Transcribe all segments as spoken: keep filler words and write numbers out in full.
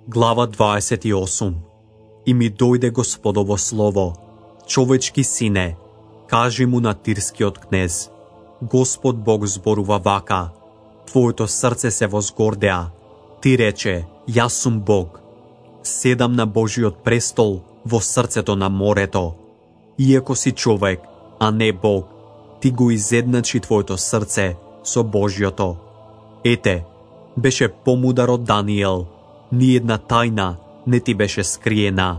Глава дваесет и осум. И ми дојде Господово слово: човечки сине, кажи му на тирскиот кнез: Господ Бог зборува вака: твоето срце се возгордеа. Ти рече: јас сум Бог. Седам на Божиот престол во срцето на морето. Иако си човек, а не Бог, ти го изедначи твоето срце со Божиото. Ете, беше помудар од Даниел, ни една тајна не ти беше скриена.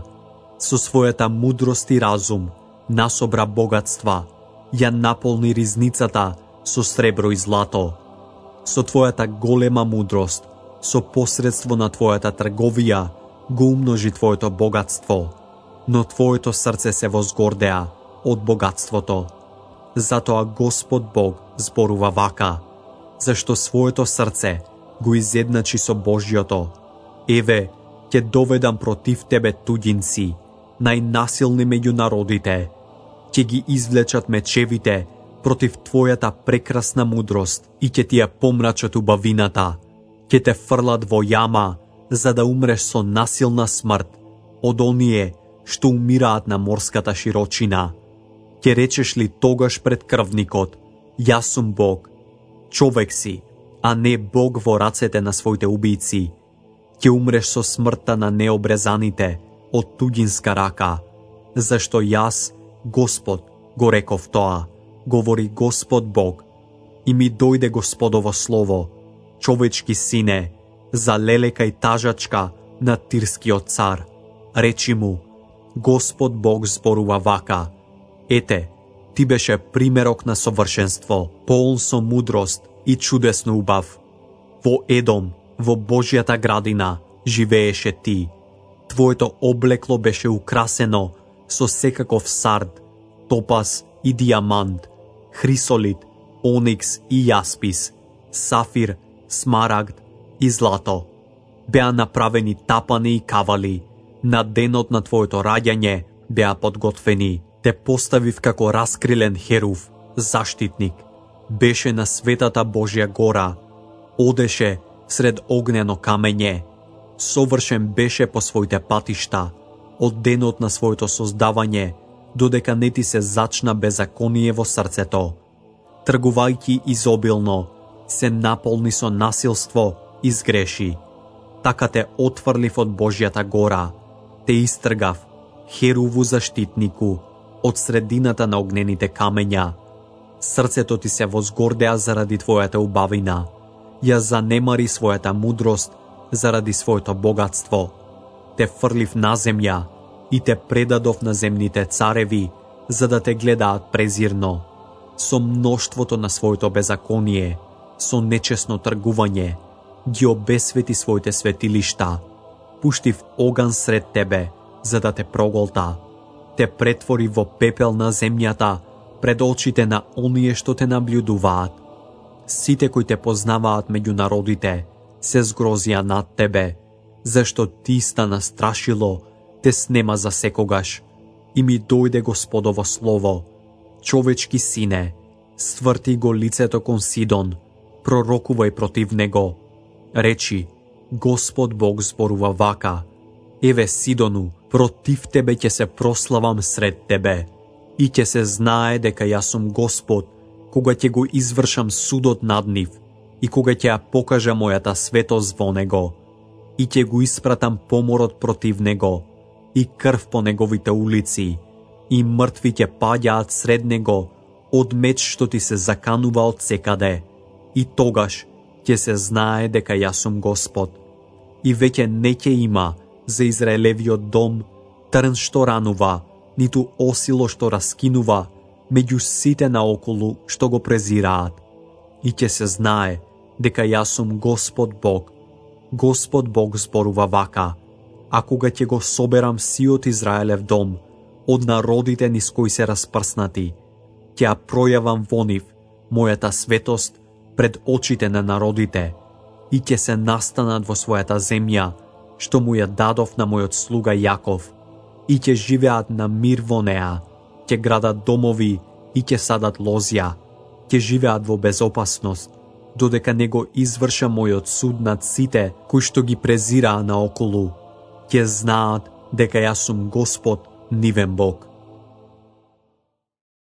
Со својата мудрост и разум насобра богатства, ја наполни ризницата со сребро и злато. Со твојата голема мудрост, со посредство на твојата трговија, го умножи твоето богатство, но твоето срце се возгордеа од богатството. Затоа Господ Бог зборува вака: зашто своето срце го изедначи со Божјото. Еве, ќе доведам против тебе туѓинци, најнасилни меѓу народите. Ќе ги извлечат мечевите против твојата прекрасна мудрост и ќе ти ја помрачат убавината. Ќе те фрлат во јама, за да умреш со насилна смрт, од оние што умираат на морската широчина. Ќе речеш ли тогаш пред крвникот: јас сум Бог? Човек си, а не Бог во рацете на своите убијци. Ќе умреш со смртта на необрезаните од туѓинска рака. Зашто јас, Господ, го реков тоа, говори Господ Бог. И ми дојде Господово слово: човечки сине, за лелека и тажачка на тирскиот цар. Речи му: Господ Бог зборува вака: ете, ти беше примерок на совршенство, полн со мудрост и чудесно убав. Во Едом, во Божјата градина, живееше ти. Твоето облекло беше украсено со секаков сард, топаз и дијамант, хрисолит, оникс и јаспис, сафир, смарагд и злато. Беа направени тапани и кавали. На денот на твоето раѓање беа подготвени. Те поставив како раскрилен херув, заштитник. Беше на светата Божја гора. Одеше сред огнено камење. Совршен беше по своите патишта, од денот на своето создавање, додека не ти се зачна беззаконие во срцето. Тргувајќи изобилно, се наполни со насилство и згреши. Така те отфрлив од Божјата гора, те истргав, херуву заштитнику, од средината на огнените камења. Срцето ти се возгордеа заради твојата убавина. Ја занемари својата мудрост заради своето богатство. Те фрлив на земја и те предадов на земните цареви, за да те гледаат презирно. Со мноштвото на своето беззаконие, со нечесно тргување, ги обесвети своите светилишта. Пуштив оган сред тебе, за да те проголта. Те претвори во пепел на земјата пред очите на оние што те наблюдуваат. Сите кои те познаваат меѓу народите се згрозија над тебе, зашто ти стана страшило, те снема за секогаш. И ми дојде Господово слово: човечки сине, стврти го лицето кон Сидон, пророкувај против него. Речи: Господ Бог зборува вака: еве Сидону, против тебе ќе се прославам сред тебе, и ќе се знае дека јас сум Господ, кога ќе го извршам судот над нив и кога ќе ја покажа мојата светост во него, и ќе го испратам поморот против него и крв по неговите улици, и мртви ќе паѓаат сред него од меч што ти се заканува од секаде, и тогаш ќе се знае дека јас сум Господ. И веќе не ќе има за Израелевиот дом трн што ранува, ниту осило што раскинува меѓу сите наоколу што го презираат. И ќе се знае дека јас сум Господ Бог. Господ Бог зборува вака: а кога ќе го соберам сиот Израелев дом од народите низ кои се распрснати, ќе ја пројавам во нив мојата светост пред очите на народите, и ќе се настанат во својата земја, што му ја дадов на мојот слуга Јаков, и ќе живеат на мир во неа, ќе градат домови и ќе садат лозја, ќе живеат во безопасност, додека не го изврша мојот суд над сите кои што ги презираа наоколу. Ќе знаат дека јас сум Господ, нивен Бог.